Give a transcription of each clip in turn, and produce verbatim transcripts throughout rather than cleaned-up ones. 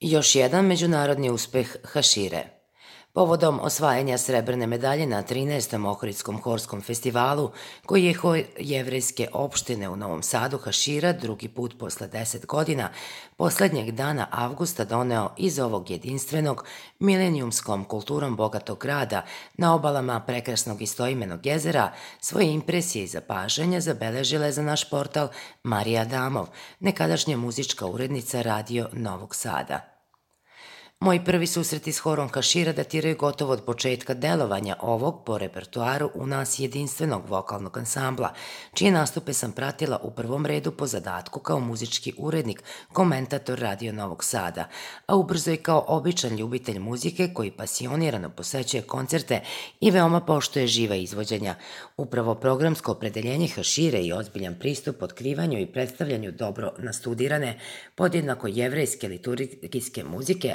Još jedan međunarodni uspeh Hašire. Povodom osvajanja srebrne medalje na trinaestom Ohridskom horskom festivalu, koji je hor jevrejske opštine u Novom Sadu Hašira drugi put posle deset godina, poslednjeg dana avgusta doneo iz ovog jedinstvenog, milenijumskom kulturom bogatog grada na obalama prekrasnog istoimenog jezera, svoje impresije i zapažanja zabeležila je za naš portal Marija Adamov, nekadašnja muzička urednica Radio Novog Sada. Moji prvi susreti s horom Hašira datiraju gotovo od početka delovanja ovog, po repertuaru, u nas jedinstvenog vokalnog ansambla, čije nastupe sam pratila u prvom redu po zadatku kao muzički urednik, komentator Radio Novog Sada, a ubrzo i kao običan ljubitelj muzike koji pasionirano posećuje koncerte i veoma poštuje živa izvođenja. Upravo programsko opredeljenje Hašire i ozbiljan pristup otkrivanju i predstavljanju dobro nastudirane, podjednako jevrejske liturgijske muzike,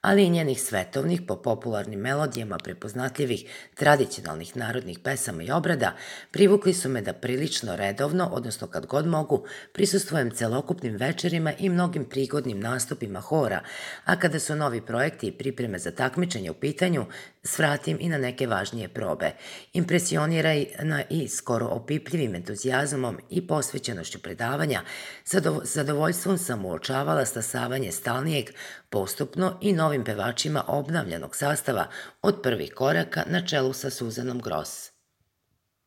ali i njenih svetovnih po popularnim melodijama prepoznatljivih tradicionalnih narodnih pesama i obrada, privukli su me da prilično redovno, odnosno kad god mogu, prisustvujem celokupnim večerima i mnogim prigodnim nastupima hora, a kada su novi projekti i pripreme za takmičenje u pitanju, svratim i na neke važnije probe. Impresionirana i skoro opipljivim entuzijazmom i posvećenošću predavanja, zadovoljstvom sam uočavala stasavanje stalnijeg, postupno i novim pevačima obnavljanog sastava od prvih koraka na čelu sa Suzanom Gross.